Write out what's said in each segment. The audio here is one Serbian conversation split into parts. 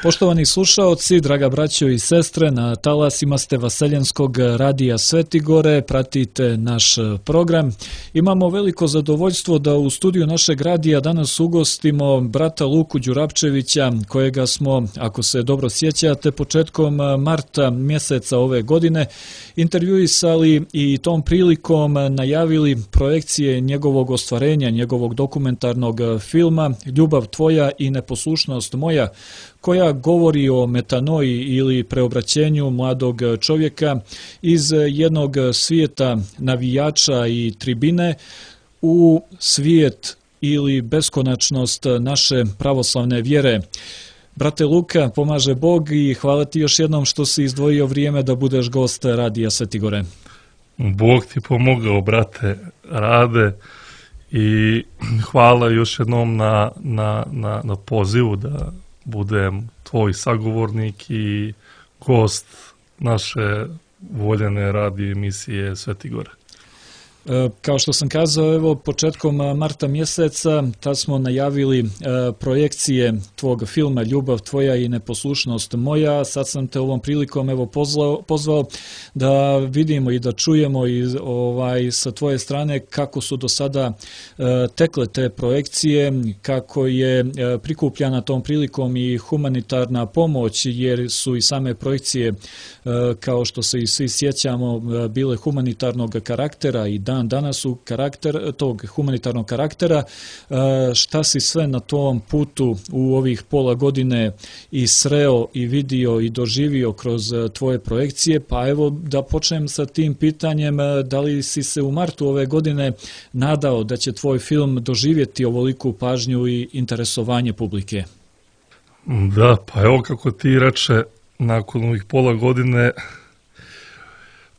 Poštovani slušaoci, draga braćo i sestre, na talasima ste Vaseljenskog radija Svetigore, pratite naš program. Imamo veliko zadovoljstvo da u studiju našeg radija danas ugostimo brata Luku Đurapčevića, kojega smo, ako se dobro sjećate, početkom marta mjeseca ove godine intervjuisali i tom prilikom najavili projekcije njegovog ostvarenja, njegovog dokumentarnog filma Ljubav tvoja i neposlušnost moja, koja govori o metanoji ili preobraćenju mladog čovjeka iz jednog svijeta navijača i tribine u svijet ili beskonačnost naše pravoslavne vjere. Brate Luka, pomaže Bog i hvala ti još jednom što si izdvojio vrijeme da budeš gost Radija Svetigore. Bog ti pomogao, brate Rade, i hvala još jednom na pozivu da budem tvoj sagovornik i gost naše voljene radio emisije Svetigora. Kao što sam kazao, evo, početkom marta mjeseca tad smo najavili projekcije tvog filma Ljubav tvoja i neposlušnost moja. Sad sam te ovom prilikom evo pozvao da vidimo i da čujemo i sa tvoje strane kako su do sada tekle te projekcije, kako je prikupljana tom prilikom i humanitarna pomoć, jer su i same projekcije, kao što se i svi sjećamo, bile humanitarnog karaktera i danas su karakter tog humanitarnog karaktera. Šta si sve na tom putu u ovih pola godine i sreo i vidio i doživio kroz tvoje projekcije? Pa evo da počnem sa tim pitanjem, da li si se u martu ove godine nadao da će tvoj film doživjeti ovoliku pažnju i interesovanje publike? Da, pa evo kako ti reče, nakon ovih pola godine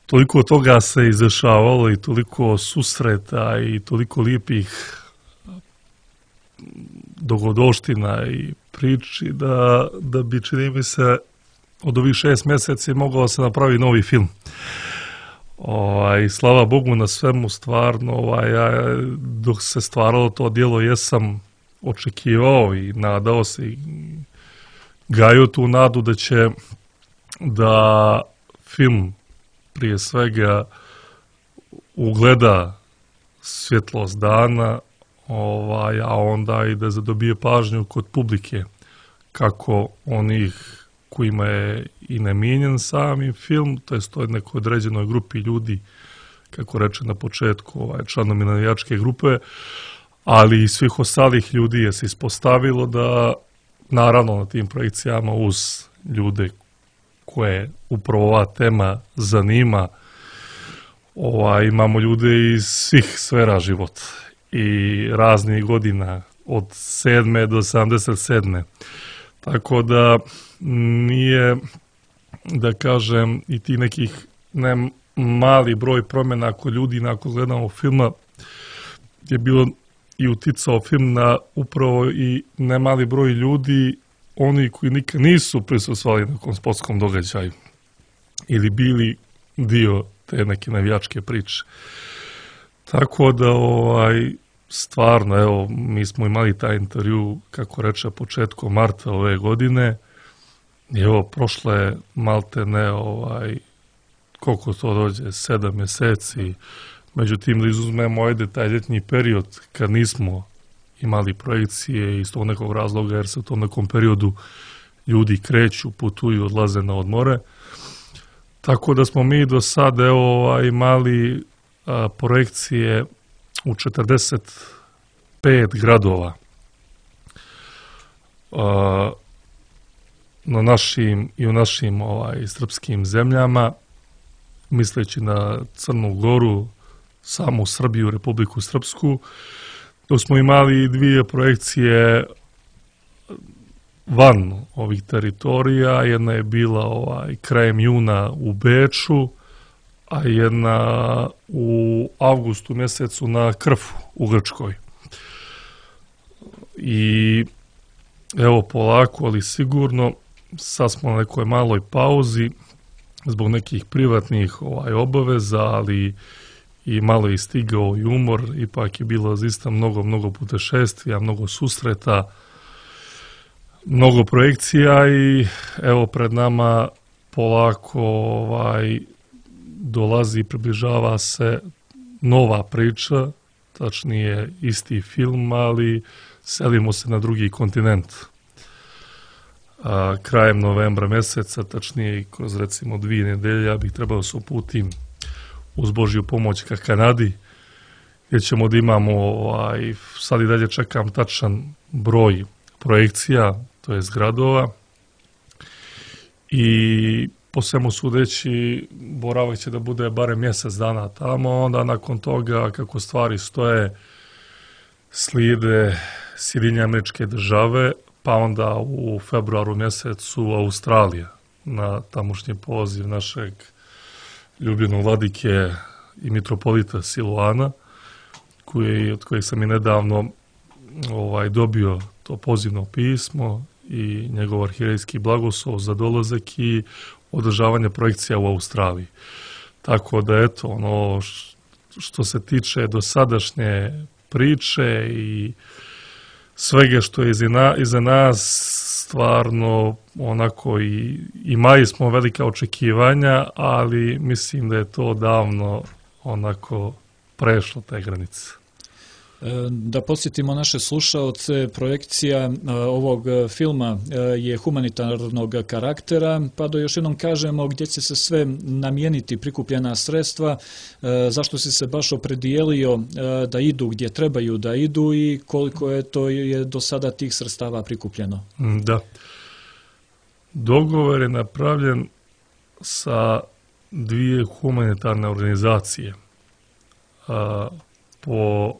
toliko toga se izdešavalo i toliko susreta i toliko lijepih dogodovština i priči da bi, čini mi se, od ovih 6 mjeseci mogao se napravi novi film. I slava Bogu na svemu, stvarno, ja dok se stvaralo to djelo jesam očekivao i nadao se i gajio tu nadu da će da film prije svega ugleda svjetlost dana, a onda i da zadobije pažnju kod publike, kako onih kojima je i namijenjen sami film, to je toj nekoj određenoj grupi ljudi, kako reče na početku, članovi navijačke grupe, ali i svih ostalih ljudi je se ispostavilo da, naravno, na tim projekcijama uz ljude koje upravo ova tema zanima, imamo ljude iz svih sfera života i raznih godina, od 7. do 77. Tako da nije, da kažem, i ti nekih ne mali broj promjena kod ljudi nakon gledamo filma je bilo i uticao film na upravo i ne mali broj ljudi, oni koji nikad nisu prisustvovali nekom sportskom događaju ili bili dio te neke navijačke priče. Tako da, stvarno, evo, mi smo imali taj intervju, kako reče, početkom marta ove godine i evo, prošle maltene, koliko to dođe, 7 mjeseci, međutim, da izuzmemo taj ljetni period kad nismo imali projekcije iz tog nekog razloga, jer se u tom nekom periodu ljudi kreću, putuju, odlaze na odmore. Tako da smo mi do sada imali projekcije u 45 gradova na našim i u našim srpskim zemljama, misleći na Crnu Goru, samu Srbiju, Republiku Srpsku. Dok smo imali 2 projekcije van ovih teritorija, jedna je bila krajem juna u Beču, a jedna u avgustu mjesecu na Krfu u Grčkoj. I evo, polako, ali sigurno, sad smo na nekoj maloj pauzi zbog nekih privatnih obaveza, ali i malo je stigao i umor, ipak je bilo zaista mnogo putešestvija, mnogo susreta, mnogo projekcija i evo pred nama polako dolazi, približava se nova priča, tačnije isti film, ali selimo se na drugi kontinent. Krajem novembra meseca, tačnije kroz recimo 2 nedelje, ja bih trebao se uputim uz Božju pomoć ka Kanadi, gdje ćemo da imamo, sad i dalje čekam tačan broj projekcija, to je gradova, i po svemu sudeći boravak će da bude barem mjesec dana tamo, onda nakon toga kako stvari stoje slijede Sjedinjene Američke Države, pa onda u februaru mjesecu Australija na tamošnji poziv našeg ljubljenog vladike i mitropolita Siluana, od kojeg sam i nedavno dobio to pozivno pismo i njegov arhirejski blagoslov za dolazak i održavanje projekcija u Australiji. Tako da eto, ono što se tiče dosadašnje priče i svega što je iza nas, stvarno onako i imali smo velika očekivanja, ali mislim da je to davno onako prešlo te granice. Da podsjetimo naše slušaoce, projekcija ovog filma je humanitarnog karaktera, pa da još jednom kažemo gdje će se sve namijeniti prikupljena sredstva, zašto si se baš opredijelio da idu gdje trebaju da idu i koliko je do sada tih sredstava prikupljeno. Da. Dogovor je napravljen sa 2 humanitarne organizacije. Po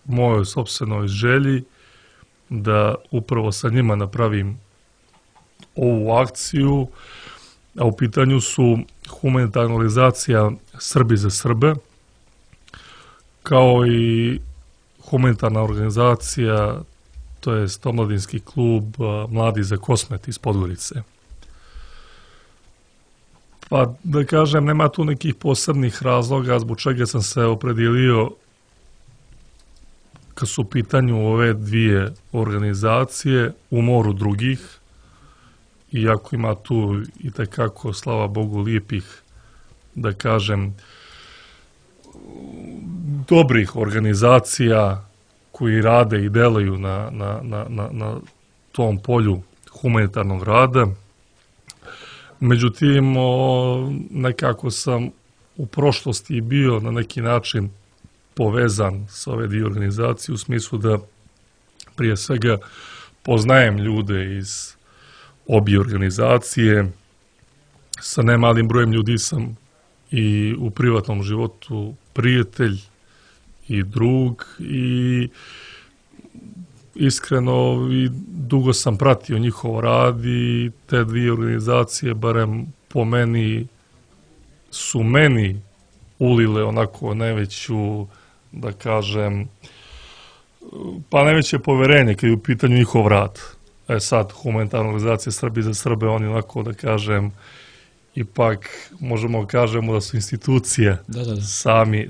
mojoj sopstvenoj želji da upravo sa njima napravim ovu akciju, a u pitanju su humanitarna organizacija Srbi za Srbe, kao i humanitarna organizacija, to je omladinski klub Mladi za Kosmet iz Podgorice. Pa da kažem, nema tu nekih posebnih razloga zbog čega sam se opredijelio kad su u pitanju ove 2 organizacije u moru drugih, iako ima tu i tekako, slava Bogu, lijepih, da kažem, dobrih organizacija koji rade i delaju na tom polju humanitarnog rada. Međutim, nekako sam u prošlosti bio na neki način povezan sa ove 2 organizacije u smislu da prije svega poznajem ljude iz obje organizacije, sa nemalim brojem ljudi sam i u privatnom životu prijatelj i drug i iskreno i dugo sam pratio njihov rad i te 2 organizacije, barem po meni, su meni ulile onako najveću, da kažem, pa najveće poverenje kad je u pitanju njihov rad. Sad, humanitarna organizacija Srbi za Srbe, oni onako, da kažem, ipak možemo kažemo da su institucije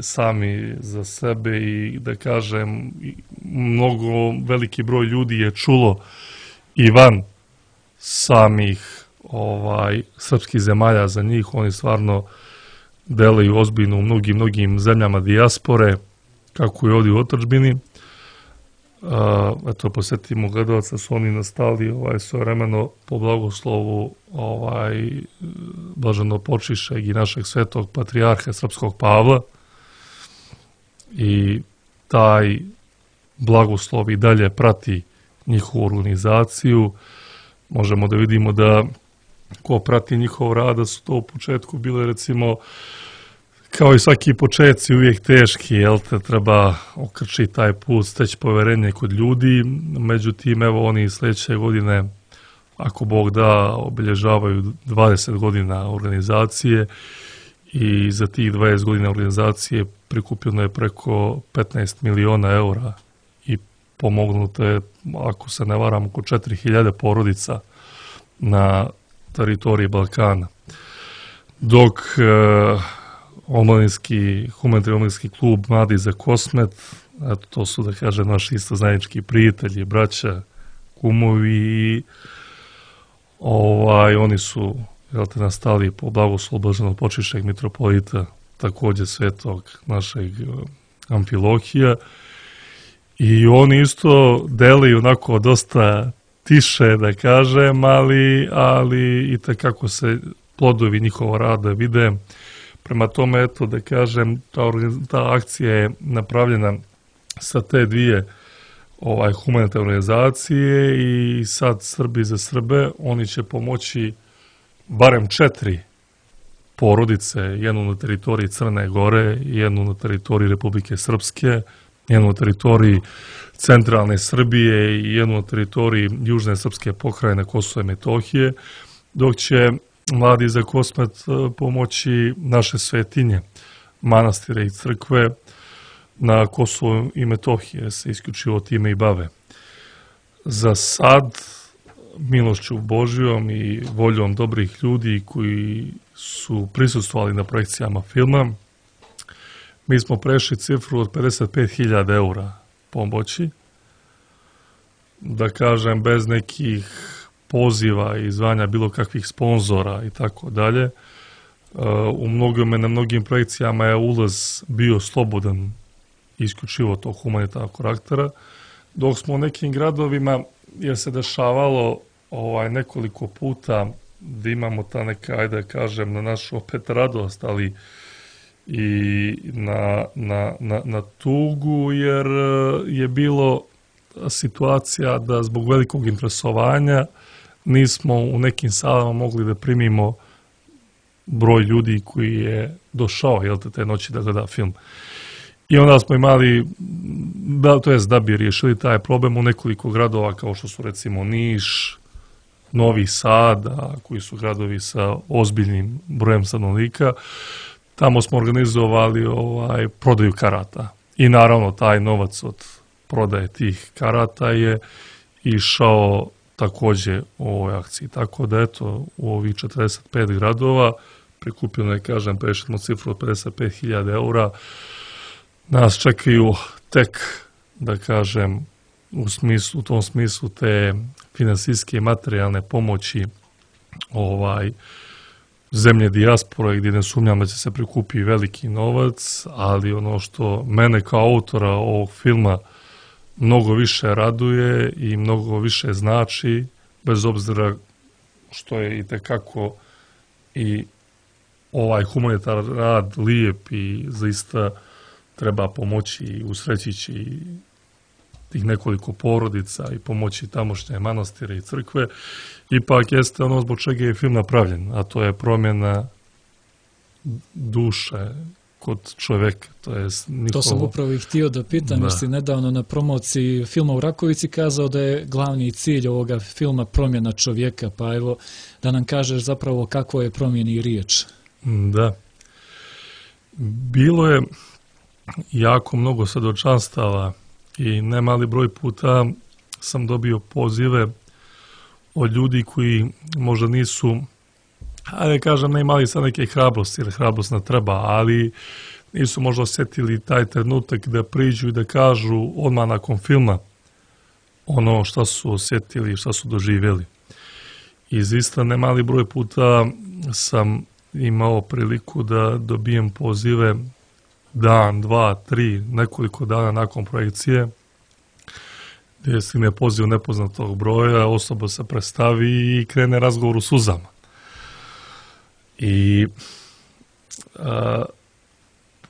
sami za sebe i da kažem, mnogo veliki broj ljudi je čulo i van samih srpskih zemalja za njih. Oni stvarno delaju ozbiljno u mnogim zemljama dijaspore, kako je ovdje u otadžbini. Eto, posjetimo gledalca, su oni nastali svojevremeno po blagoslovu blaženopočišćeg i našeg svetog patrijarha srpskog Pavla, i taj blagoslov i dalje prati njihovu organizaciju. Možemo da vidimo da ko prati njihov rad, da su to u početku bile, recimo, kao i svaki početci, uvijek teški, jel te, treba okrčiti taj put, steći poverenje kod ljudi. Međutim, evo, oni sljedeće godine, ako Bog da, obilježavaju 20 godina organizacije i za tih 20 godina organizacije prikupljeno je preko 15 miliona eura i pomognuto je, ako se ne varam, oko 4000 porodica na teritoriji Balkana. Dok humanitarni omladinski klub Mladi za Kosmet, to su, da kažem, naši isto zajednički prijatelji, braća kumovi i oni su nastali po blagoslovu blaženog počišćeg mitropolita, takođe svetog našeg Amfilohija, i oni isto deluju onako dosta tiše, da kažem, ali i takako se plodovi njihova rada vide. Prema tome, eto, da kažem, ta akcija je napravljena sa te dvije humanitarne organizacije i sad Srbi za Srbe, oni će pomoći barem 4 porodice, jednu na teritoriji Crne Gore, jednu na teritoriji Republike Srpske, jednu na teritoriji centralne Srbije i jednu na teritoriji južne srpske pokrajine Kosova i Metohije, dok će Mladi za Kosmet pomoći naše svetinje, manastire i crkve na Kosovu i Metohije, se isključivo time i bave. Za sad, milošću Božjom i voljom dobrih ljudi koji su prisustvovali na projekcijama filma, mi smo prešli cifru od 55.000 eura pomoći, da kažem, bez nekih poziva i zvanja bilo kakvih sponzora i tako dalje. Na mnogim projekcijama je ulaz bio slobodan, isključivo tog humanitarnog karaktera, dok smo u nekim gradovima, jer se dešavalo nekoliko puta da imamo ta neka, ajde da kažem, na našu opet radost, ali i na tugu, jer je bilo situacija da zbog velikog interesovanja nismo u nekim salama mogli da primimo broj ljudi koji je došao te noći da gleda film. I onda smo imali, da bi riješili taj problem u nekoliko gradova kao što su recimo Niš, Novi Sad, koji su gradovi sa ozbiljnim brojem stanovnika, tamo smo organizovali prodaju karata. I naravno taj novac od prodaje tih karata je išao takođe u ovoj akciji. Tako da eto, u ovih 45 gradova prikupljeno je, kažem, prešli smo cifru od 55.000 eura. Nas čekaju tek, da kažem, u tom smislu te finansijske i materijalne pomoći zemlje dijaspore, gdje ne sumnjam da će se prikupi veliki novac, ali ono što mene kao autora ovog filma mnogo više raduje i mnogo više znači, bez obzira što je i tekako i ovaj humanitarni rad lijep i zaista treba pomoći i usrećići tih nekoliko porodica i pomoći tamošnje manastire i crkve, ipak jeste ono zbog čega je film napravljen, a to je promjena duše kod čoveka. To sam upravo i htio da pitam, jer si nedavno na promociji filma u Rakovici kazao da je glavni cilj ovoga filma promjena čovjeka, pa evo da nam kažeš zapravo kako je promjeni riječ. Da. Bilo je jako mnogo svedočanstava i nemali broj puta sam dobio pozive od ljudi koji možda nisu, ajde kažem, ne imali sad neke hrabrosti, jer hrabrost ne treba, ali nisu možda osjetili taj trenutak da priđu i da kažu odmah nakon filma ono šta su osjetili i šta su doživjeli. I zaista nemali broj puta sam imao priliku da dobijem pozive dan, dva, tri, nekoliko dana nakon projekcije, gdje stigne poziv nepoznatog broja, osoba se predstavi i krene razgovor u suzama. I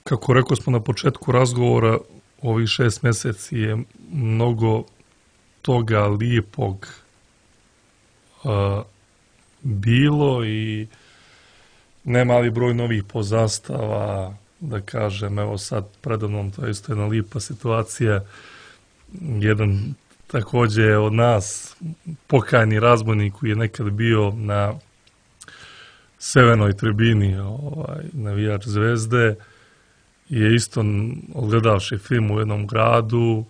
kako rekao smo na početku razgovora, ovih 6 mjeseci je mnogo toga lijepog bilo i nemali broj novih poznanstava, da kažem, evo sad predavnom, to je isto jedna lijepa situacija, jedan također od nas, pokajni razbojnik koji je nekad bio na severnoj tribini, navijač Zvezde, je isto odgledavši film u jednom gradu,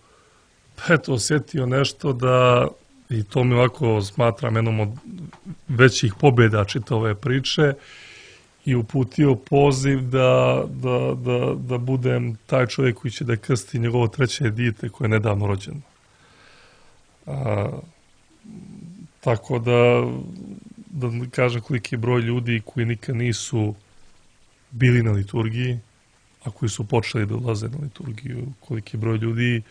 eto, osjetio nešto da, i to mi ovako smatram jednom od većih pobjeda čitave priče, i uputio poziv da budem taj čovjek koji će da krsti njegovo treće dijete koje je nedavno rođeno. Tako da kažem koliki broj ljudi koji nikad nisu bili na liturgiji, a koji su počeli da ulaze na liturgiju, koliki broj ljudi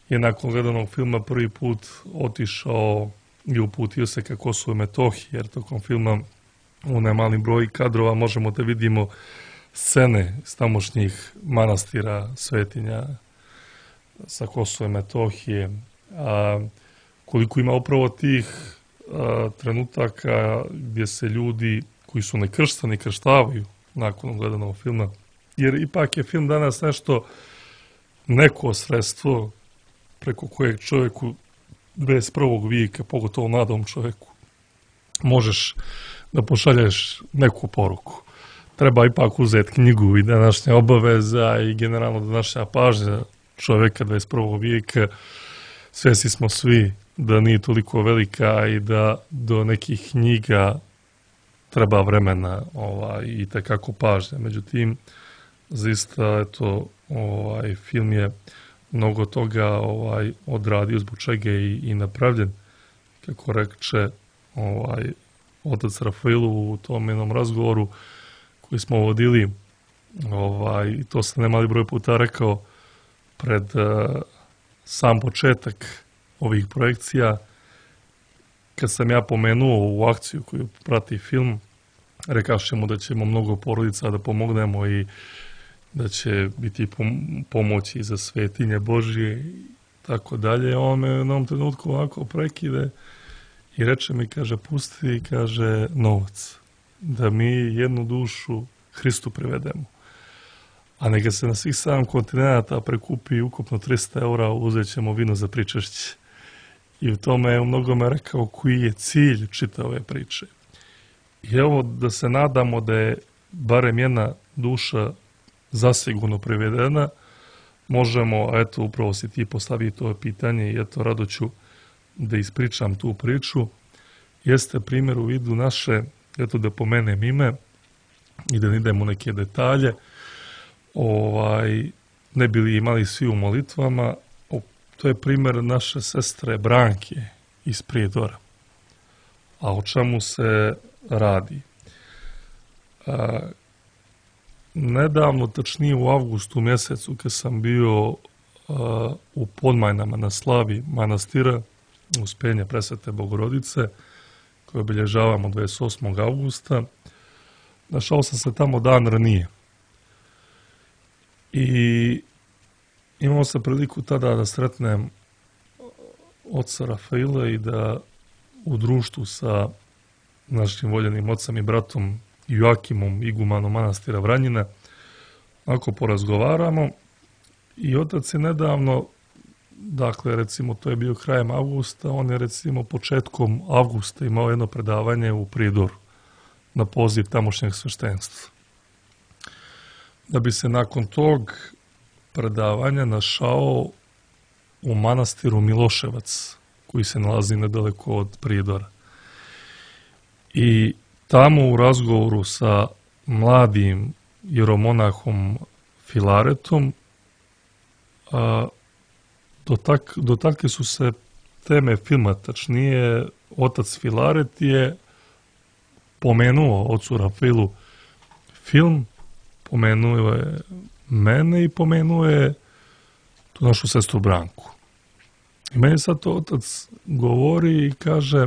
je nakon gledanog filma prvi put otišao i uputio se ka Kosovu i Metohiji, jer tokom filma u nemali broj kadrova možemo da vidimo scene iz tamošnjih manastira, svetinja sa Kosova i Metohije. Koliko ima upravo tih trenutaka gdje se ljudi koji su nekrštani krštavaju nakon gledanog filma, jer ipak je film danas neko sredstvo preko kojeg čovjeku 21. vijeka, pogotovo mladom čovjeku, možeš da pošalješ neku poruku. Treba ipak uzeti knjigu i današnja obaveza i generalno današnja pažnja čovjeka 21. vijeka. Svjesni smo svi da nije toliko velika i da do nekih knjiga treba vremena i takako pažnja. Međutim, zaista, film je mnogo toga odradio, zbog čega i napravljen, kako reče otac Rafaelu u tom jednom razgovoru koji smo vodili, i to sam nemali broj puta rekao pred sam početak ovih projekcija, kad sam ja pomenuo u akciju koju prati film, rekavšemo da ćemo mnogo porodica da pomognemo i da će biti pomoći za svetinje Božije i tako dalje. On me u jednom trenutku ovako prekide i reče mi, kaže, pusti, kaže, novac, da mi jednu dušu Hristu privedemo. A neka se na svih 7 kontinenta prekupi ukupno 300 eura, uzet ćemo vino za pričešće. I u tome je u mnogome rekao koji je cilj čitave ove priče. I evo da se nadamo da je barem jedna duša zasigurno privedena, možemo, eto, upravo si ti postavio to pitanje i eto, rado ću da ispričam tu priču. Jeste primjer u vidu naše, eto da pomenem ime i da ne idemo u neke detalje, ne bili imali svi u molitvama, to je primjer naše sestre Branke iz Prijedora. A o čemu se radi? Nedavno, tačnije u avgustu mjesecu, kad sam bio u Podmajnama na slavi manastira Uspenja Presvete Bogorodice, koje obilježavamo 28. augusta, našao sam se tamo dan ranije. I imao sam priliku tada da sretnem oca Rafaela i da u društvu sa našim voljenim ocem i bratom Joakimom, igumanom manastira Vranjina, ako porazgovaramo. I otac je nedavno, dakle recimo to je bio krajem avgusta, on je recimo početkom avgusta imao jedno predavanje u Prijedoru na poziv tamošnjeg sveštenstva. Da bi se nakon tog predavanja našao u manastiru Miloševac, koji se nalazi nedaleko od Prijedora. I tamo u razgovoru sa mladim jeromonahom Filaretom dotakli su se teme filma, tačnije otac Filaret je pomenuo ocu Rafaelu film, pomenuo je mene i pomenuo je tu našu sestru Branku. I meni sad to otac govori i kaže,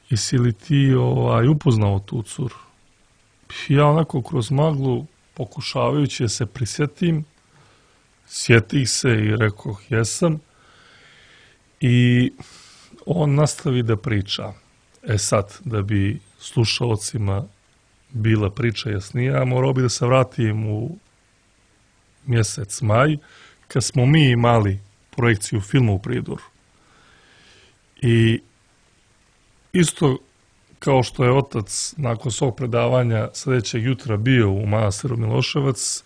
jesi li ti upoznao tu curu? Ja onako kroz maglu, pokušavajući se prisjetim, sjetih se i rekao, jesam. I on nastavi da priča. Sad, da bi slušalcima bila priča jasnija, morao bi da se vratim u mjesec maj, kad smo mi imali projekciju filma u Prijedoru. I isto kao što je otac nakon svog predavanja sljedećeg jutra bio u manastiru Miloševac,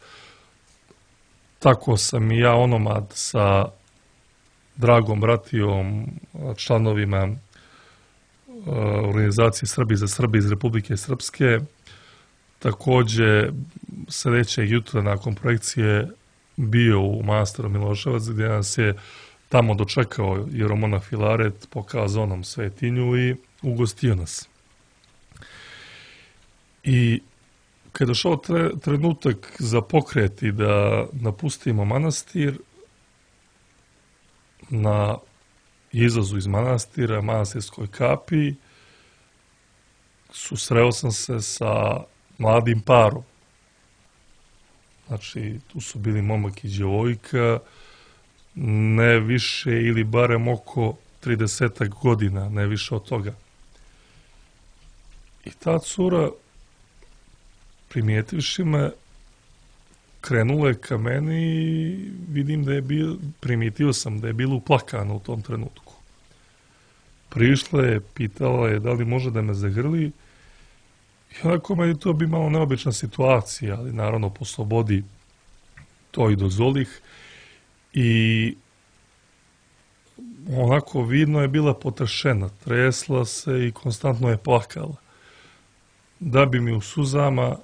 tako sam i ja onomad sa dragom bratijom, članovima organizacije Srbi za Srbe iz Republike Srpske, također sljedećeg jutra nakon projekcije bio u manastiru Miloševac, gdje nas je tamo dočekao jeromonah Filaret, pokazao nam svetinju i ugostio nas. I kada je došao trenutak za pokret i da napustimo manastir, na izlazu iz manastira, manastirskoj kapiji, susreo sam se sa mladim parom. Znači, tu su bili momak i djevojka, ne više ili barem oko 30 godina, ne više od toga. I ta cura, primijetivši me, krenula je ka meni i vidim da je primijetio sam da je bila uplakana u tom trenutku. Prišla je, pitala je da li može da me zagrli i onako meni to bi malo neobična situacija, ali naravno po slobodi to i dozvolih i onako vidno je bila potrešena, tresla se i konstantno je plakala. Da bi mi u suzama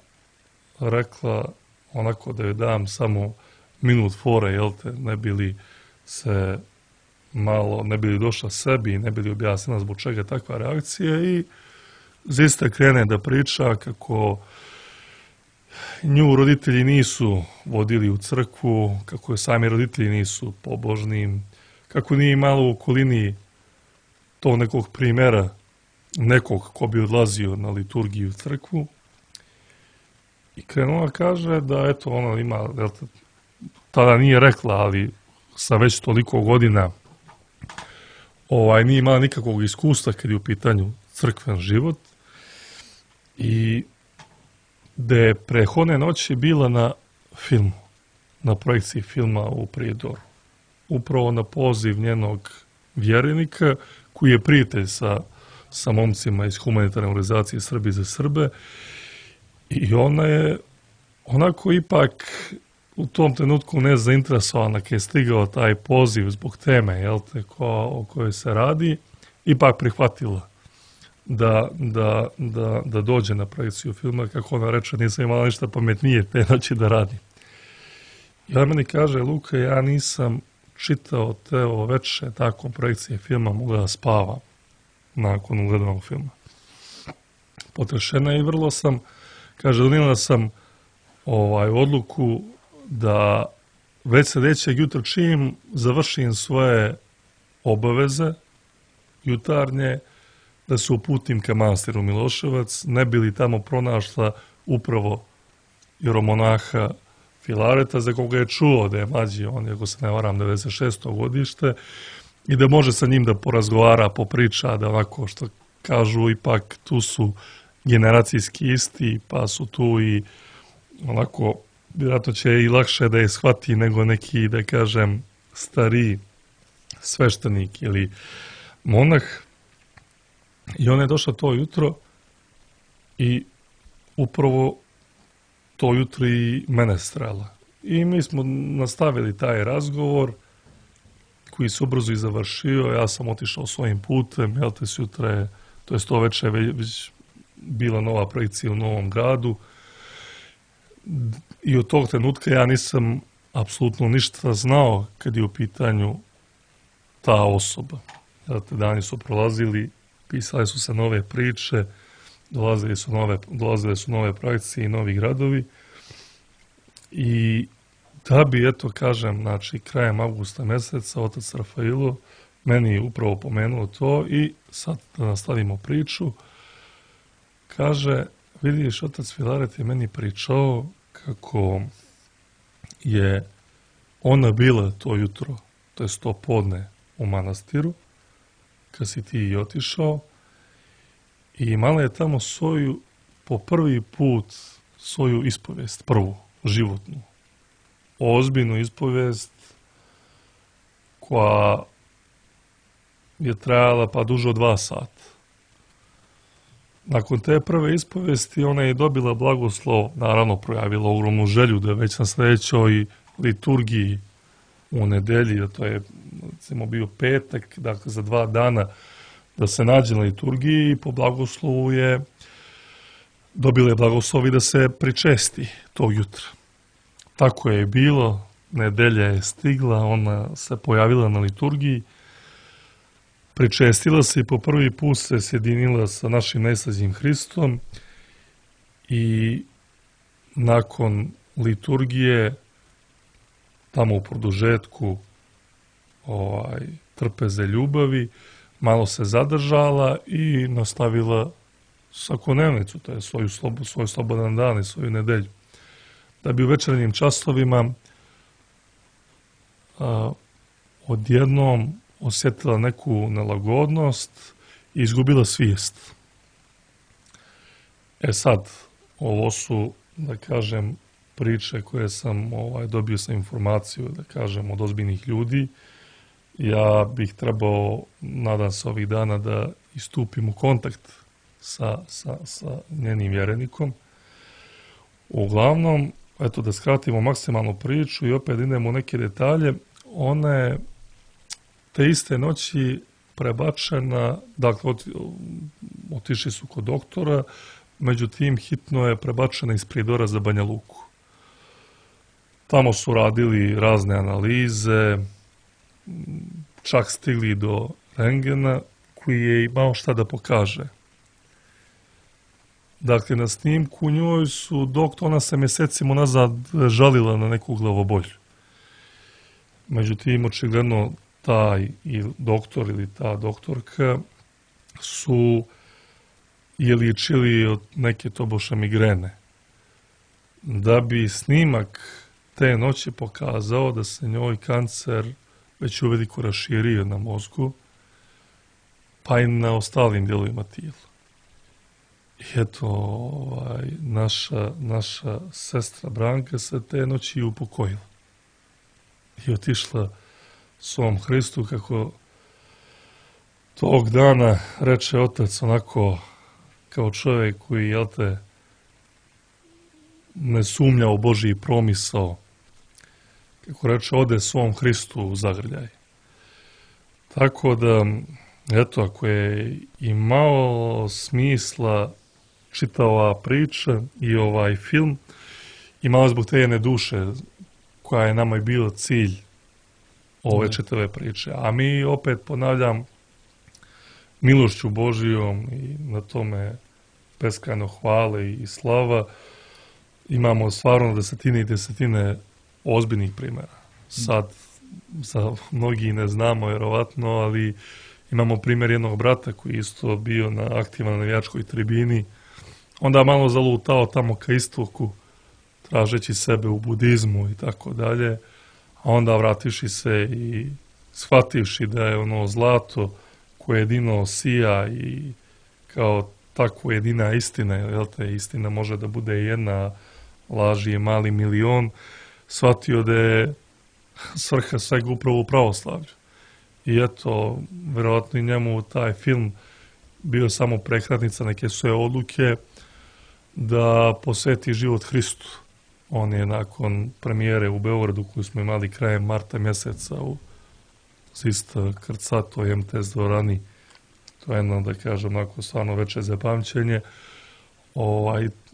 rekla onako da joj dam samo minut fore, jel te, ne bi li se malo, ne bi li došla sebi, ne bi li objasnila zbog čega takva reakcija i zaista krene da priča kako nju roditelji nisu vodili u crkvu, kako je sami roditelji nisu pobožni, kako nije imalo u okolini to nekog primjera, nekog ko bi odlazio na liturgiju u crkvu. I krenula kaže da eto ona ima, tada nije rekla, ali sa već toliko godina nije imala nikakvog iskustva kad je u pitanju crkven život i da je prethodne noći bila na filmu, na projekciji filma u Prijedoru. Upravo na poziv njenog vjerenika koji je prijatelj sa momcima iz humanitarne organizacije Srbi za Srbe i ona je onako ipak u tom trenutku nezainteresovana kad je stigao taj poziv zbog teme, jel te, o kojoj se radi, ipak prihvatila da dođe na projekciju filma, kako ona reče, nisam imala ništa pametnije te noći da radim. I ona meni kaže, Luka, ja nisam čitao te veče nakon projekcije filma, mogla da spavam nakon ugledanog filma. Potrešena i vrlo sam, kaže, donijela sam odluku da već sljedećeg jutra čim završim svoje obaveze jutarnje, da se uputim ka manastiru Miloševac, ne bi li tamo pronašla upravo jeromonaha Filareta, za koga je čuo da je mlađi, on je, ako se ne varam, 96. godište, i da može sa njim da porazgovara, popriča, da onako što kažu, ipak tu su generacijski isti, pa su tu i onako, vjerojatno će i lakše da je shvati nego neki, da kažem, stariji sveštenik ili monah. I ona je došla to jutro i upravo to jutro i mene strela. I mi smo nastavili taj razgovor koji se ubrzo i završio. Ja sam otišao svojim putem, jel te, sutra je, to je to večer već bila nova projekcija u Novom Gradu. I od tog trenutka ja nisam apsolutno ništa znao kad je u pitanju ta osoba. Jel te, dani su prolazili, pisale su se nove priče, dolazile su nove projekcije i novi gradovi. I da bi, eto, kažem, znači, krajem avgusta meseca, otac Rafailo meni je upravo pomenuo to i sad da nastavimo priču. Kaže, vidiš, otac Filaret je meni pričao kako je ona bila to jutro, to je to podne u manastiru, kad si ti i otišao, i imala je tamo svoju, po prvi put, svoju ispovijest, prvu, životnu. Ozbiljnu ispovijest koja je trajala pa duže od 2 sata. Nakon te prve ispovijesti ona je dobila blagoslov, naravno projavila ogromnu želju da već na sljedećoj liturgiji u nedelji, da to je recimo bio petak, dakle za 2 dana da se nađe na liturgiji i po blagoslovu je dobila je blagoslovi da se pričesti tog jutra. Tako je bilo, nedelja je stigla, ona se pojavila na liturgiji, pričestila se i po prvi put se sjedinila sa našim najslađim Hristom i nakon liturgije tamo u produžetku trpeze ljubavi malo se zadržala i nastavila svakodnevnicu, to je svoj slobodan dan i svoju nedelju. Da bi u večernjim časovima odjednom osjetila neku nelagodnost i izgubila svijest. Sad, ovo su, da kažem, priče koje sam dobio sam informaciju, da kažem, od ozbiljnih ljudi. Ja bih trebao, nadam se ovih dana, da istupim u kontakt sa njenim vjerenikom. Uglavnom, eto da skratimo maksimalnu priču i opet idemo u neke detalje, ona je te iste noći prebačena, dakle otišli su kod doktora, međutim hitno je prebačena iz Prijedora za Banja Luku. Tamo su radili razne analize, čak stigli do rentgena koji je imao šta da pokaže. Dakle, na snimku njoj su ona se mjesecima nazad žalila na neku glavobolju. Međutim, očigledno taj doktor ili ta doktorka su je liječili od neke tobože migrene. Da bi snimak te noći pokazao da se njoj kancer već uveliko raširio na mozgu, pa i na ostalim dijelovima tijela. I eto, naša sestra Branka se te noći upokojila i otišla svom Hristu, kako tog dana reče otac, onako kao čovjek koji, jel te, ne sumnja u Božji promisao, kako reče, ode svom Hristu u zagrljaj. Tako da, eto, ako je imalo smisla čitava priča i ovaj film, imalo zbog te jedne duše koja je nama i bio cilj ove čitave priče. A mi opet, ponavljam, milošću Božijom i na tome beskrajno hvale i slava, imamo stvarno desetine i desetine ozbiljnih primjera. Sad, za mnogi ne znamo vjerovatno, ali imamo primjer jednog brata koji isto bio aktivan na navijačkoj tribini, onda malo zalutao tamo ka istoku, tražeći sebe u budizmu i tako dalje, a onda vratiši se i shvativši da je ono zlato koje jedino sija i kao takvo jedina istina, jel te, istina može da bude jedna, laž je mali milion, shvatio da je svrha svega upravo u pravoslavlju. I eto, vjerojatno i njemu taj film bio samo prekratnica neke svoje odluke da posveti život Hristu. On je nakon premijere u Beogradu koju smo imali krajem marta mjeseca u Zista krcatoj MTS dvorani, to je jedno, da kažem, onako stvarno veće zapamćenje,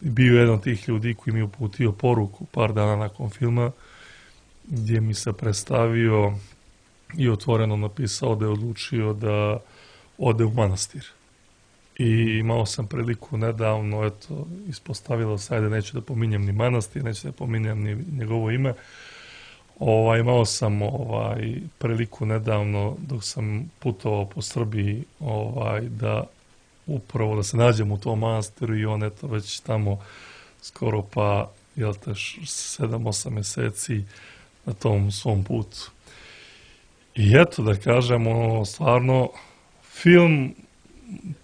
bio jedan od tih ljudi koji mi je uputio poruku par dana nakon filma, gdje mi se predstavio i otvoreno napisao da je odlučio da ode u manastir. I imao sam priliku nedavno, eto, ispostavilo se, ajde, neću da pominjem ni manastir, neću da pominjem ni njegovo ime, imao sam priliku nedavno dok sam putovao po Srbiji da upravo da se nađem u tom manastiru i on eto već tamo skoro pa 7-8 mjeseci na tom svom putu. I eto da kažem, stvarno film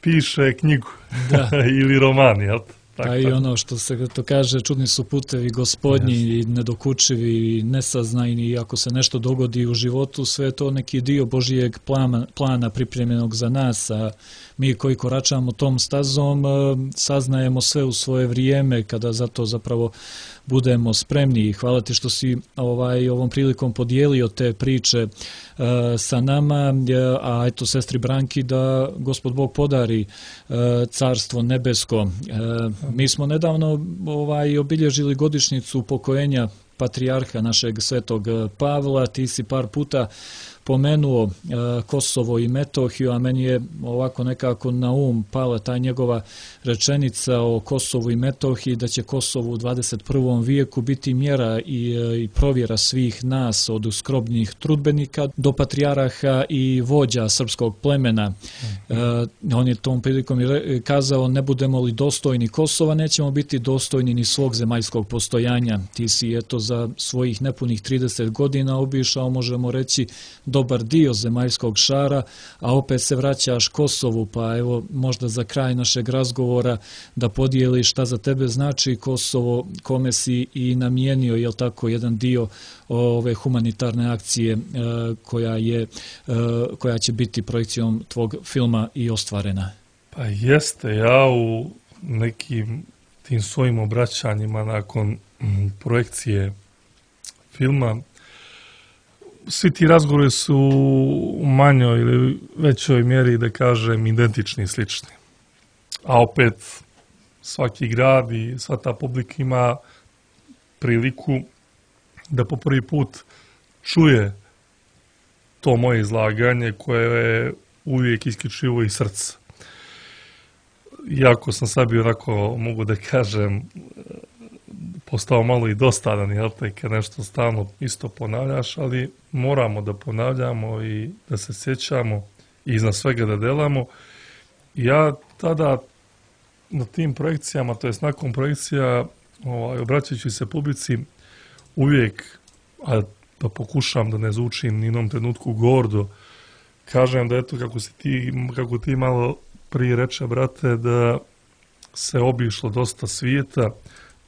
piše knjigu ili roman, jel? Pa i ono što se to kaže, čudni su putevi gospodnji i nedokučivi i nesaznajni, i ako se nešto dogodi u životu, sve je to neki dio Božijeg plana pripremljenog za nas, a mi koji koračamo tom stazom saznajemo sve u svoje vrijeme kada za to zapravo budemo spremni. I hvala ti što si ovom prilikom podijelio te priče sa nama, a eto sestri Branki da Gospod Bog podari carstvo nebesko. Mi smo nedavno obilježili godišnjicu upokojenja patrijarha našeg svetog Pavla. Ti si par puta pomenuo Kosovo i Metohiju, a meni je ovako nekako na pala ta njegova rečenica o Kosovu i Metohiji, da će Kosovo u 21. vijeku biti mjera i provjera svih nas, od skromnih trudbenika do patrijaraha i vođa srpskog plemena. On je tom prilikom kazao, ne budemo li dostojni Kosova, nećemo biti dostojni ni svog zemaljskog postojanja. Ti si za svojih nepunih 30 godina obišao, možemo reći, dobar dio zemaljskog šara, a opet se vraćaš Kosovu, pa evo možda za kraj našeg razgovora da podijeliš šta za tebe znači Kosovo, kome si i namijenio, jel tako, jedan dio ove humanitarne akcije koja će biti projekcijom tvog filma i ostvarena. Pa jeste, ja u nekim tim svojim obraćanjima nakon projekcije filma, svi ti razgovori su u manjoj ili većoj mjeri, da kažem, identični i slični. A opet, svaki grad i sva ta publika ima priliku da po prvi put čuje to moje izlaganje koje je uvijek isključivo iz srca. Iako sam sad bio onako, mogu da kažem, postao malo i dosadan, jel te, kad nešto stalno isto ponavljaš, ali moramo da ponavljamo i da se sjećamo i iznad svega da delamo. Ja tada na tim projekcijama, to jest nakon projekcija, obraćajući se publici, uvijek, a da pokušam da ne zvučim ni jednom trenutku gordo, kažem da eto, kako ti malo prije reče, brate, da se obišlo dosta svijeta,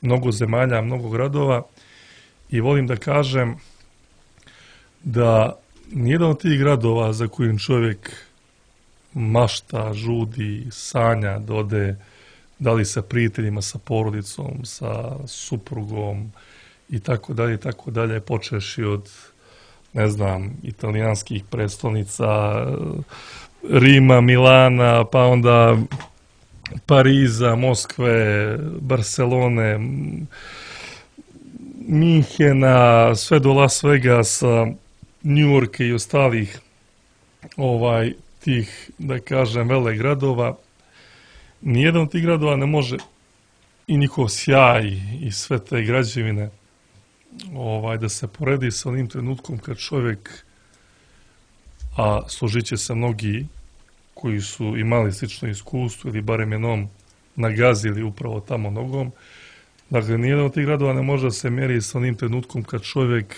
mnogo zemalja, mnogo gradova, i volim da kažem da nijedan od tih gradova za kojim čovjek mašta, žudi, sanja da ode, da li sa prijateljima, sa porodicom, sa suprugom i tako dalje, počeši od, ne znam, italijanskih prestolnica, Rima, Milana, pa onda Pariza, Moskve, Barcelone, Minhena, sve do Las Vegasa, Njujorka i ostalih tih, da kažem, vele gradova. Nijedan od tih gradova ne može, i njihov sjaj i sve te građevine, da se poredi sa onim trenutkom kad čovjek, a složit će se mnogi koji su imali slično iskustvo ili barem jednom nagazili upravo tamo nogom. Dakle, nijedan od tih gradova ne može da se meri sa onim trenutkom kad čovjek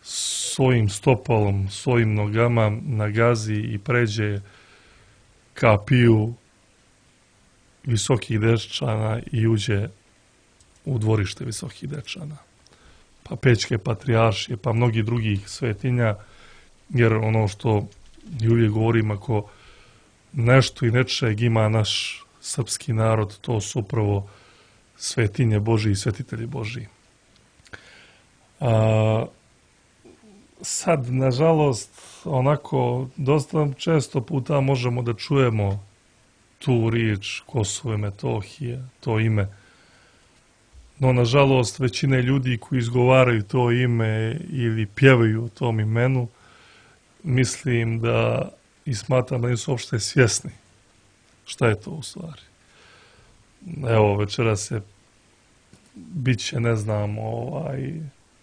svojim stopalom, svojim nogama nagazi i pređe kapiju visokih dečana i uđe u dvorište visokih dečana. Pa Pećke patrijaršije, pa mnogi drugih svetinja, jer ono što i uvijek govorim, ako nešto i nečeg ima naš srpski narod, to su upravo svetinje Božji i svetitelji Božji. Sad, nažalost, onako, dosta često puta možemo da čujemo tu riječ Kosovo i Metohija, to ime. No, nažalost, većina ljudi koji izgovaraju to ime ili pjevaju o tom imenu, mislim da i smatram da nisu uopšte svjesni šta je to u stvari. Evo, večeras bit će, ne znam,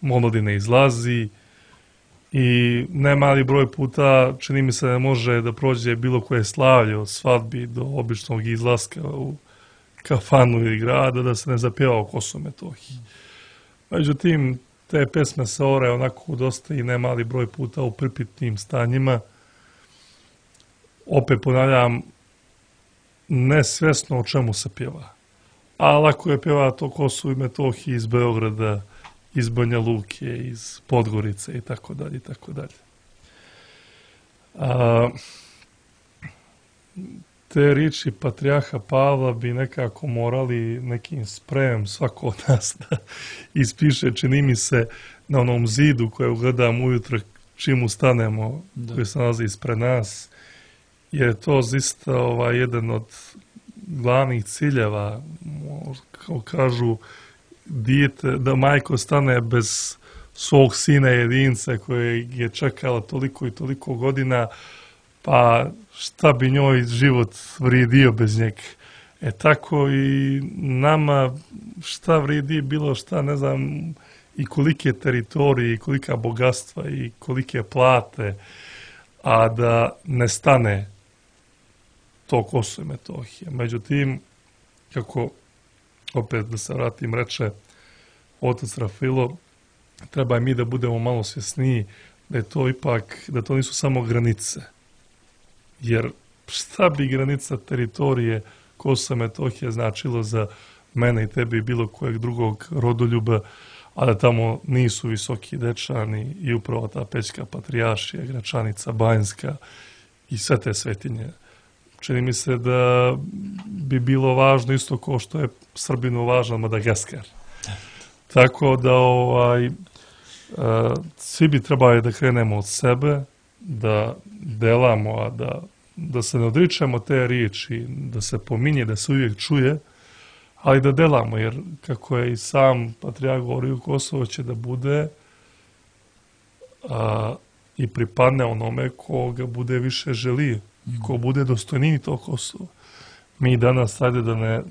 Monodine izlazi i nemali broj puta, čini mi se, ne može da prođe bilo koje slavlje od svadbi do običnog izlaska u kafanu ili grada da se ne zapjeva o Kosovu i Metohiji. Međutim, te pesme se ore onako dosta i nemali broj puta u pripitnim stanjima. Opet ponavljam, nesvjesno o čemu se pjeva. A lako je pjeva to Kosovo i Metohiji iz Beograda, iz Banja Luke, iz Podgorice i tako dalje, i tako dalje. Te riječi patrijarha Pavla bi nekako morali nekim sprejem svako od nas da ispiše, čini mi se, na onom zidu koje gledam ujutro čim ustanemo, koji se nalazi ispred nas, jer je to zaista jedan od glavnih ciljeva, kao kažu, da majka ostane bez svog sina jedinca kojeg je čekala toliko i toliko godina, pa šta bi njoj život vrijedio bez njega. Tako i nama šta vrijedi bilo šta, ne znam, i kolike teritorije, i kolika bogatstva, i kolike plate, a da ne stane to Kosovo i Metohija. Međutim, kako opet da se vratim, reče otac Rafilo, treba i mi da budemo malo svjesniji da je to ipak, da to nisu samo granice. Jer šta bi granica teritorije Kosova i Metohije značilo za mene i tebe i bilo kojeg drugog rodoljuba, a da tamo nisu Visoki Dečani i upravo ta Pećka Patrijaršija, Gračanica Banjska i sve te svetinje. Čini mi se da bi bilo važno isto kao što je Srbinu važan Madagaskar. Tako da svi bi trebali da krenemo od sebe, da delamo, a da se ne odričemo te riječi, da se pominje, da se uvijek čuje, ali da delamo, jer kako je i sam Patrijarh govorio, Kosovo će da bude i pripadne onome ko ga bude više želio i ko bude dostojniji tog Kosova. Mi danas, ajde da ne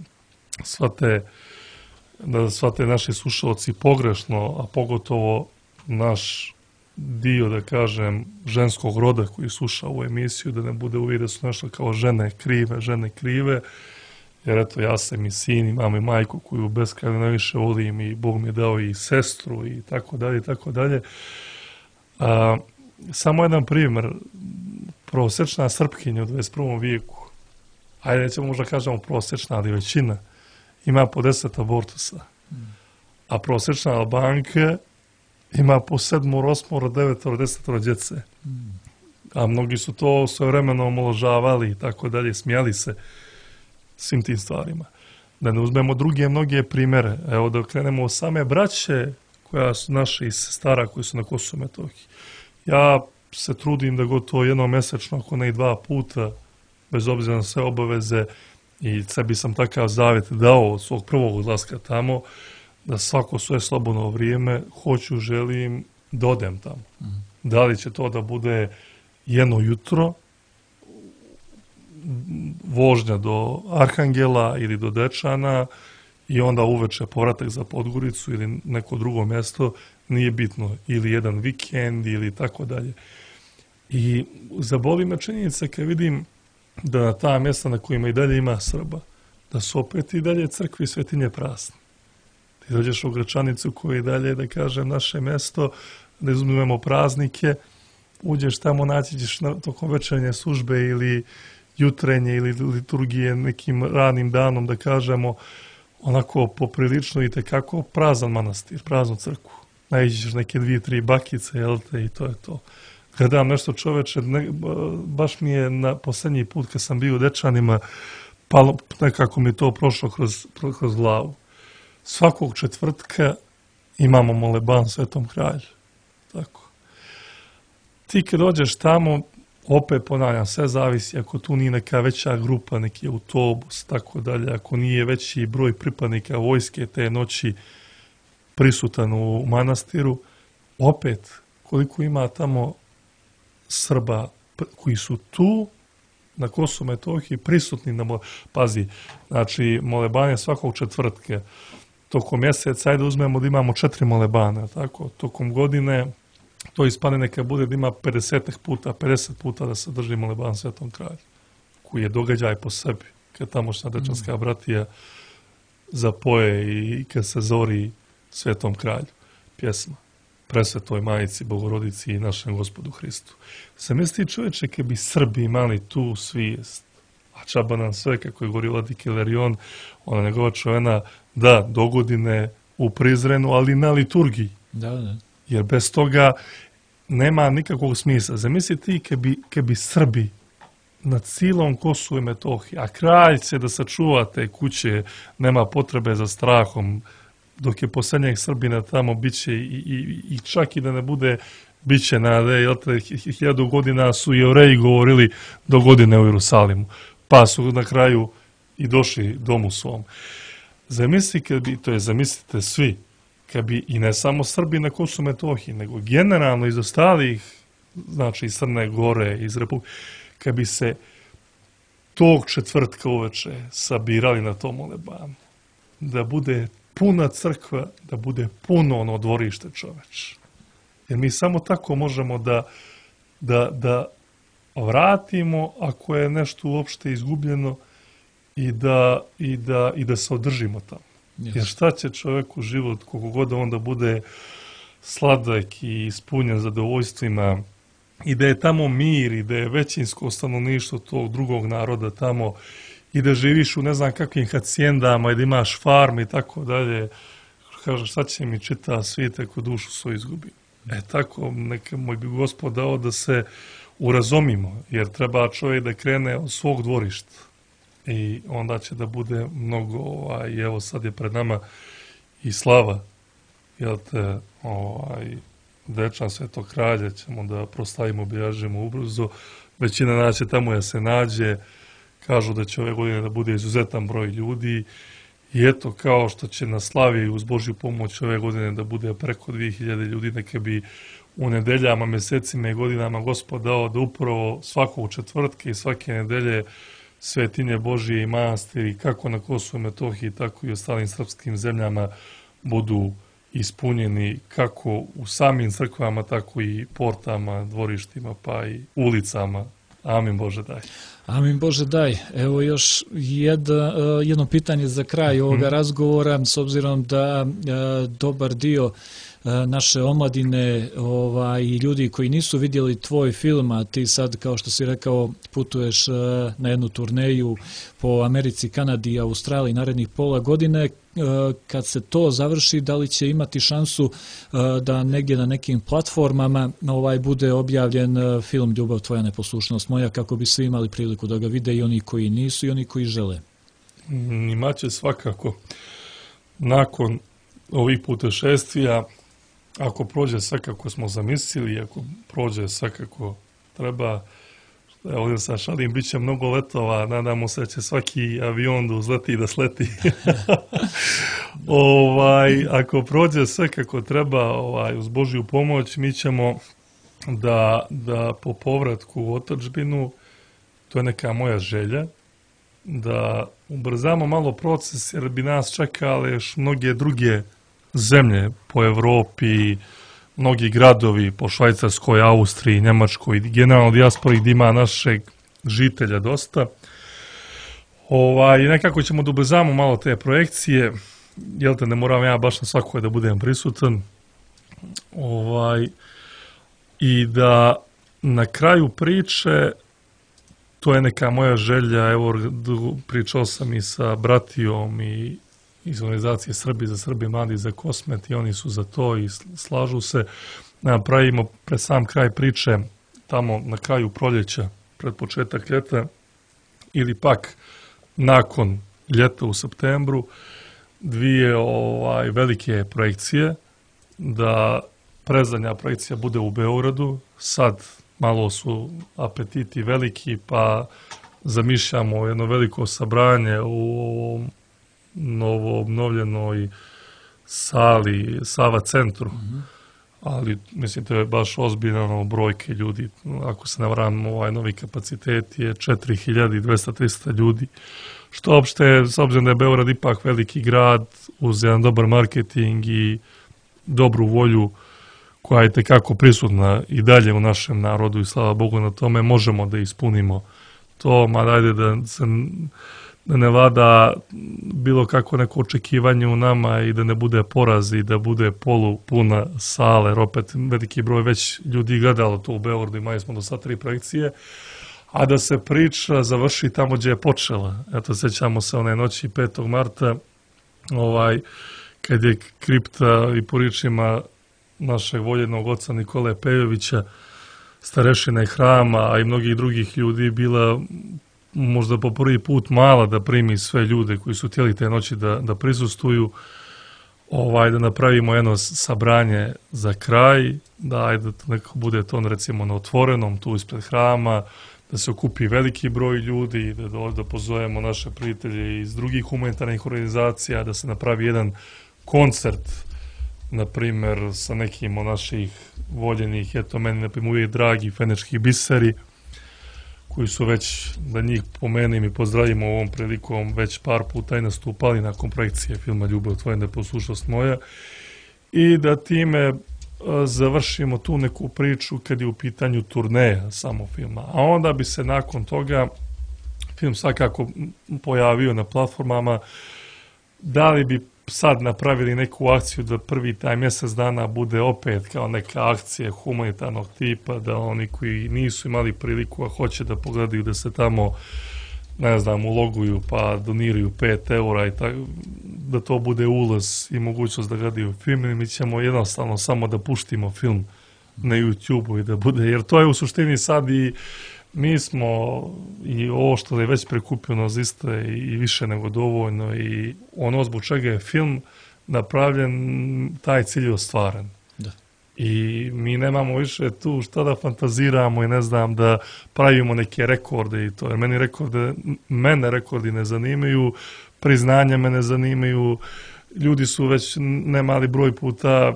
shvate naši slušalci pogrešno, a pogotovo naš dio, da kažem, ženskog roda koji sluša ovu emisiju, da ne bude uvijek da su nešto kao žene krive, jer eto, ja sam i sin, imam i majku koju beskrajno najviše volim i Bog mi je dao i sestru i tako dalje, i tako dalje. Samo jedan primjer, prosječna Srpkinja u 21. vijeku, ajde nećemo možda kažemo prosječna, ali većina, ima po 10 abortusa, a prosječna Albanka ima po 7, 8, 9, 10 djece. A mnogi su to svojevremeno omalovažavali i tako dalje, smijali se svim tim stvarima. Da ne uzmemo druge mnoge primjere. Evo da krenemo od same braće koja su naše iz stara koji su na Kosovu i Metohiji. Ja se trudim da gotovo jednom mjesečno, ako ne i 2 puta, bez obzira na sve obaveze, i sebi sam takav zavjet dao od svog prvog odlaska tamo, da svako svoje slobodno vrijeme želim da odem tamo. Da li će to da bude jedno jutro, vožnja do Arhangela ili do Dečana i onda uveče povratak za Podgoricu ili neko drugo mjesto, nije bitno, ili jedan vikend ili tako dalje. I zaboli me činjenica kad vidim da na ta mjesta na kojima i dalje ima Srba, da su opet i dalje crkve i svetinje prazne. Ti dođeš u Gračanicu koja je dalje, da kažem, naše mjesto, da izumimo praznike, uđeš tamo, naći ćeš tokom večernje službe ili jutrenje ili liturgije nekim ranim danom, da kažemo, onako poprilično i tekako prazan manastir, praznu crkvu. Naiđeš neke 2-3 bakice, jel te, i to je to. Gledam nešto, čoveče, baš mi je na posljednji put kad sam bio u Dečanima, pa nekako mi to prošlo kroz glavu. Svakog četvrtka imamo moleban Svetom Kralju. Tako. Ti kad dođeš tamo, opet ponavljam, sve zavisi, ako tu nije neka veća grupa, neki autobus, tako dalje, ako nije veći broj pripadnika vojske te noći prisutan u manastiru, opet, koliko ima tamo Srba koji su tu na Kosovu i Metohiji prisutni na pazi, znači molebanje svakog četvrtka, tokom mjeseca, ajde uzmemo da imamo 4 molebana, tako, tokom godine to ispane neka bude da ima 50 puta da se drži moleban Svetom Kralju, koji je događaj po sebi, kad tamošnja Dečanska bratija zapoje i kad se zori Svetom Kralju, pjesma Presvetoj Majici, Bogorodici i našem Gospodu Hristu. Se misli, čovječe, kad bi Srbi imali tu svijest, a čaba nam sve, kako je govorio Vladika Ilarion, ona njegova čovjena, da, dogodine u Prizrenu, ali na liturgiji. Da. Jer bez toga nema nikakvog smisla. Zamisli ti kad bi Srbi na cijelom Kosovu i Metohiji, a kralj će da sačuva te kuće, nema potrebe za strahom, dok je posljednjeg Srbina tamo biće i čak i da ne bude biće nade, 1000 godina su Jevreji govorili do godine u Jerusalimu, pa su na kraju i došli domu svom. zamislite svi, kad bi, i ne samo Srbi na Kosovu i Metohiji, nego generalno iz ostalih, znači iz Crne Gore, iz Republike, kad bi se tog četvrtka uveče sabirali na tom molebanu, da bude puna crkva, da bude puno ono dvorište, čoveč. Jer mi samo tako možemo da vratimo ako je nešto uopšte izgubljeno i da se održimo tamo. Yes. Jer šta će čovjeku život, koliko god onda bude sladak i ispunjen zadovoljstvima, i da je tamo mir, i da je većinsko stanovništvo tog drugog naroda tamo, i da živiš u ne znam kakvim hacijendama, i da imaš farm i tako dalje. Kaže, šta će mi čita svijet ako dušu svoju izgubi? Tako, neka moj bi Gospod dao da se urazumimo, jer treba čovjek da krene od svog dvorišta. I onda će da bude mnogo, evo sad je pred nama i slava, jel te, Dečan Svetog kralja ćemo da proslavimo, obilježimo ubrzo, većina nas će tamo da se nađe, kažu da će ove godine da bude izuzetan broj ljudi, i eto, kao što će na slavi uz Božju pomoć ove godine da bude preko 2000 ljudi, neka bi u nedeljama, mesecima i godinama Gospod dao da upravo svakog četvrtka i svake nedelje svetinje Božije i manastiri, kako na Kosovu i Metohiji, tako i u ostalim srpskim zemljama, budu ispunjeni kako u samim crkvama, tako i portama, dvorištima, pa i ulicama. Amin Bože daj. Amin Bože daj. Evo još jedno pitanje za kraj ovoga razgovora, s obzirom da dobar dio naše omladine i ljudi koji nisu vidjeli tvoj film, a ti sad, kao što si rekao, putuješ na jednu turneju po Americi, Kanadi i Australiji narednih pola godine. Kad se to završi, da li će imati šansu da negdje na nekim platformama bude objavljen film Ljubav tvoja, neposlušnost moja, kako bi svi imali priliku da ga vide, i oni koji nisu i oni koji žele? Imaće svakako. Nakon ovih putešestvija, ako prođe sve kako smo zamislili, ako prođe sve kako treba, ovdje sa šalim, bit će mnogo letova, nadamo se da će svaki avion da uzleti i da sleti. Ako prođe sve kako treba, uz Božju pomoć, mi ćemo da po povratku u otadžbinu, to je neka moja želja, da ubrzamo malo proces, jer bi nas čekale još mnoge druge zemlje po Evropi, mnogi gradovi po Švajcarskoj, Austriji, Njemačkoj, generalno dijaspori gdje ima našeg žitelja dosta. I nekako ćemo da ubrzamo malo te projekcije, jel te, ne moram ja baš na svakoj da budem prisutan. I da na kraju priče, to je neka moja želja, evo pričao sam i sa bratijom i iz organizacije Srbi za Srbi, Mladi za Kosmet, i oni su za to i slažu se. Napravimo pred sam kraj priče, tamo na kraju proljeća, pred početak ljeta, ili pak nakon ljeta u septembru, dvije velike projekcije, da predzadnja projekcija bude u Beogradu. Sad malo su apetiti veliki, pa zamišljamo jedno veliko sabranje u novo obnovljenoj sali Sava centru, ali mislim to je baš ozbiljno brojke ljudi, ako se ne varam, novi kapacitet je 4200-300 ljudi, što opšte, s obzirom da je Beograd ipak veliki grad, uz jedan dobar marketing i dobru volju koja je tekako prisutna i dalje u našem narodu, i slava Bogu na tome, možemo da ispunimo to, ma dajde da se ne vlada bilo kako neko očekivanje u nama i da ne bude poraz i da bude polupuna sala, jer opet veliki broj već ljudi gledalo to u Beogradu, imali smo do sad 3 projekcije, a da se priča završi tamo gdje je počela. Eto, sjećamo se one noći 5. marta, kad je kripta i po riječima našeg voljenog oca Nikole Pejovića, starešine hrama, a i mnogih drugih ljudi, bila možda po prvi put mala da primi sve ljude koji su htjeli te noći da prisustuju, da napravimo jedno sabranje za kraj, da neko bude to recimo na otvorenom, tu ispred hrama, da se okupi veliki broj ljudi, da pozovemo naše prijatelje iz drugih humanitarnih organizacija, da se napravi jedan koncert, na primjer, sa nekim od naših voljenih, eto meni, na primjer, uvijek dragi fenečki biseri, koji su već, da njih pomenem i pozdravimo ovom prilikom, već par puta i nastupali nakon projekcije filma Ljubav tvoja, neposlušnost moja, i da time završimo tu neku priču kad je u pitanju turneja samo filma. A onda bi se nakon toga film svakako pojavio na platformama. Da li bi sad napravili neku akciju da prvi taj mjesec dana bude opet kao neka akcija humanitarnog tipa, da oni koji nisu imali priliku, a hoće da pogledaju, da se tamo, ne znam, uloguju pa doniraju 5 eura i tako, da to bude ulaz i mogućnost da gledaju film, ili mi ćemo jednostavno samo da puštimo film na YouTube-u i da bude, jer to je u suštini sad i mi smo i ovo što je već prikupljeno zaista i više nego dovoljno i ono zbog čega je film napravljen, taj cilj je ostvaren. Da. I mi nemamo više tu šta da fantaziramo i ne znam da pravimo neke rekorde i to, jer mene rekordi ne zanimaju, priznanja me ne zanimaju, ljudi su već nemali broj puta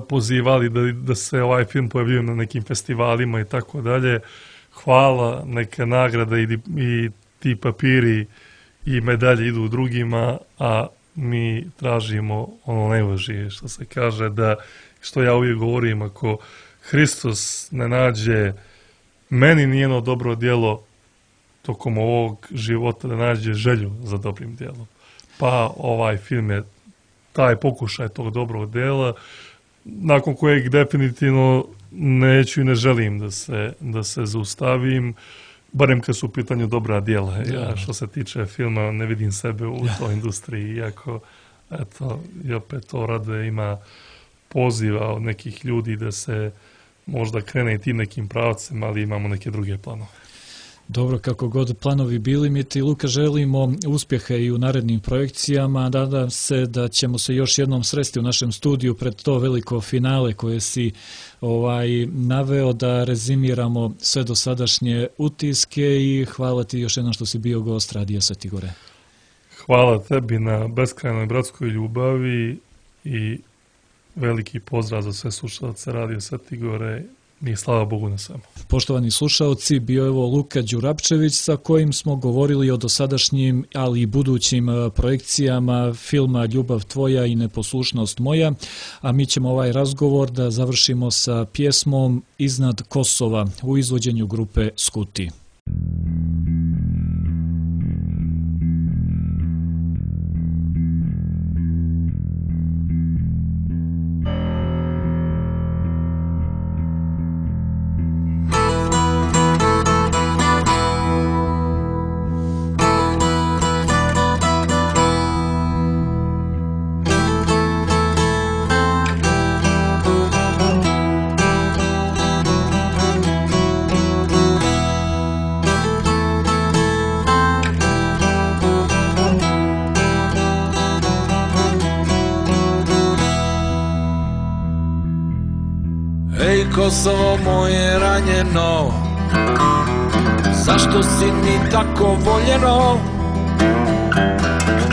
pozivali da se ovaj film pojavljuje na nekim festivalima i tako dalje. Hvala, neka nagrada i ti papiri i medalje idu drugima, a mi tražimo ono najvažnije što se kaže, da, što ja uvijek govorim, ako Hristos ne nađe meni nijedno dobro djelo tokom ovog života, da nađe želju za dobrim djelom. Pa ovaj film je taj pokušaj tog dobrog djela, nakon kojeg definitivno neću i ne želim da se zaustavim, barem kad su u pitanju dobra djela. Ja, što se tiče filma, ne vidim sebe u toj industriji, iako, eto, i opet to rade, ima poziva od nekih ljudi da se možda krene i tim nekim pravcem, ali imamo neke druge planove. Dobro, kako god planovi bili, mi ti, Luka, želimo uspjeha i u narednim projekcijama. Nadam se da ćemo se još jednom sresti u našem studiju pred to veliko finale koje si naveo, da rezimiramo sve dosadašnje utiske i hvala ti još jednom što si bio gost Radija Sveti Gore. Hvala tebi na beskrajnoj bratskoj ljubavi i veliki pozdrav za sve slušalce Radija Sveti Gore. I slava Bogu na svemu. Poštovani slušaoci, bio je ovo Luka Đurapčević sa kojim smo govorili o dosadašnjim, ali i budućim projekcijama filma Ljubav tvoja i neposlušnost moja, a mi ćemo ovaj razgovor da završimo sa pjesmom Iznad Kosova u izvođenju grupe Skuti. Kosovo moje ranjeno, zašto si mi tako voljeno?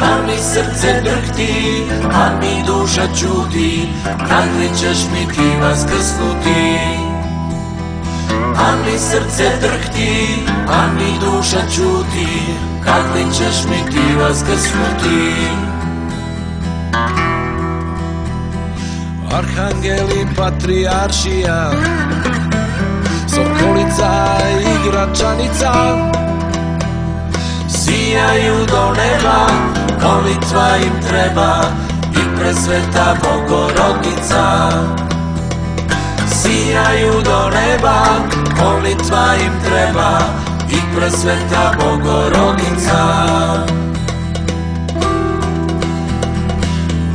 A mi srce drhti, a mi duša čudi, kad li ćeš mi ti vaskrsnuti? A mi srce drhti, a mi duša čudi, kad li ćeš mi ti vaskrsnuti? Arhangeli, patrijaršija, Sokolica i Gračanica sijaju do neba, molitva im treba i presveta Bogorodica. Sijaju do neba, molitva im treba i presveta Bogorodica.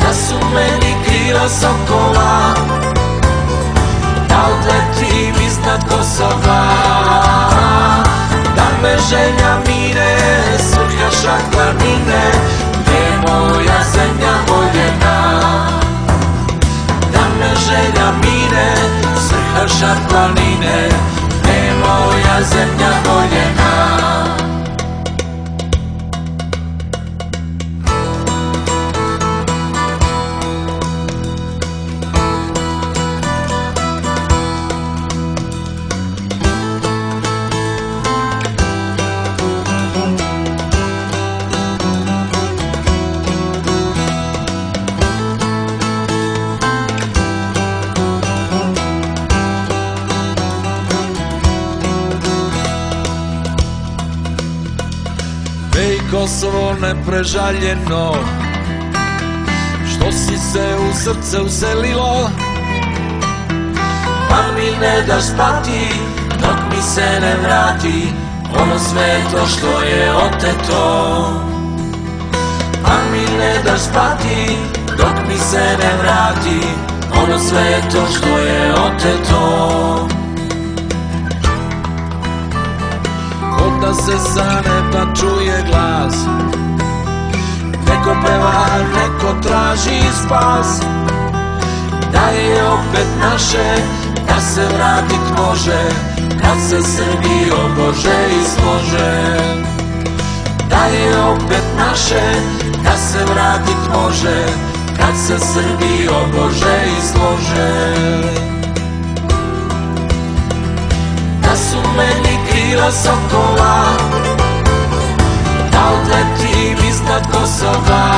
Da su meni krila sokola, da odletim iznad Kosova, da me želja mire, svrhaša planine, gdje je moja zemlja voljena. Da me želja mire, svrhaša planine, gdje je moja zemlja Kosovo neprežaljeno, što si se u srce uselilo, pa mi ne daš spati dok mi se ne vrati ono sveto što je oteto. Pa mi ne daš spati dok mi se ne vrati ono sveto što je oteto. Ko da se sa neba čuje glas, neko peva, neko traži spas, da je opet naše, da se vratit može, kad se Srbijo Bože izlože. Da je opet naše, da se vratit može, kad se Srbijo Bože izlože. Da su meni krila sokola, da odletim iznad Kosova,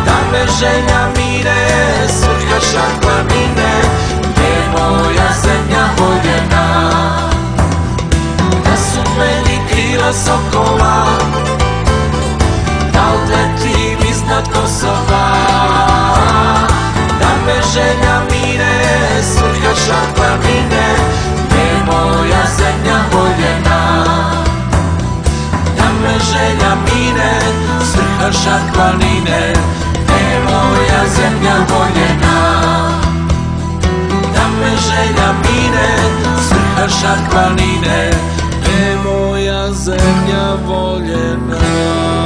da me želja mire, svrhaša planine, gde je moja zemlja voljena. Da su meni krila sokola, da odletim iznad Kosova, da me želja mire, svrhaša planine, gde je moja zemlja voljena. Da me želja mire, svrhaša planine, gde je moja zemlja voljena. Da me želja mire, svrhaša planine, gde je moja zemlja voljena.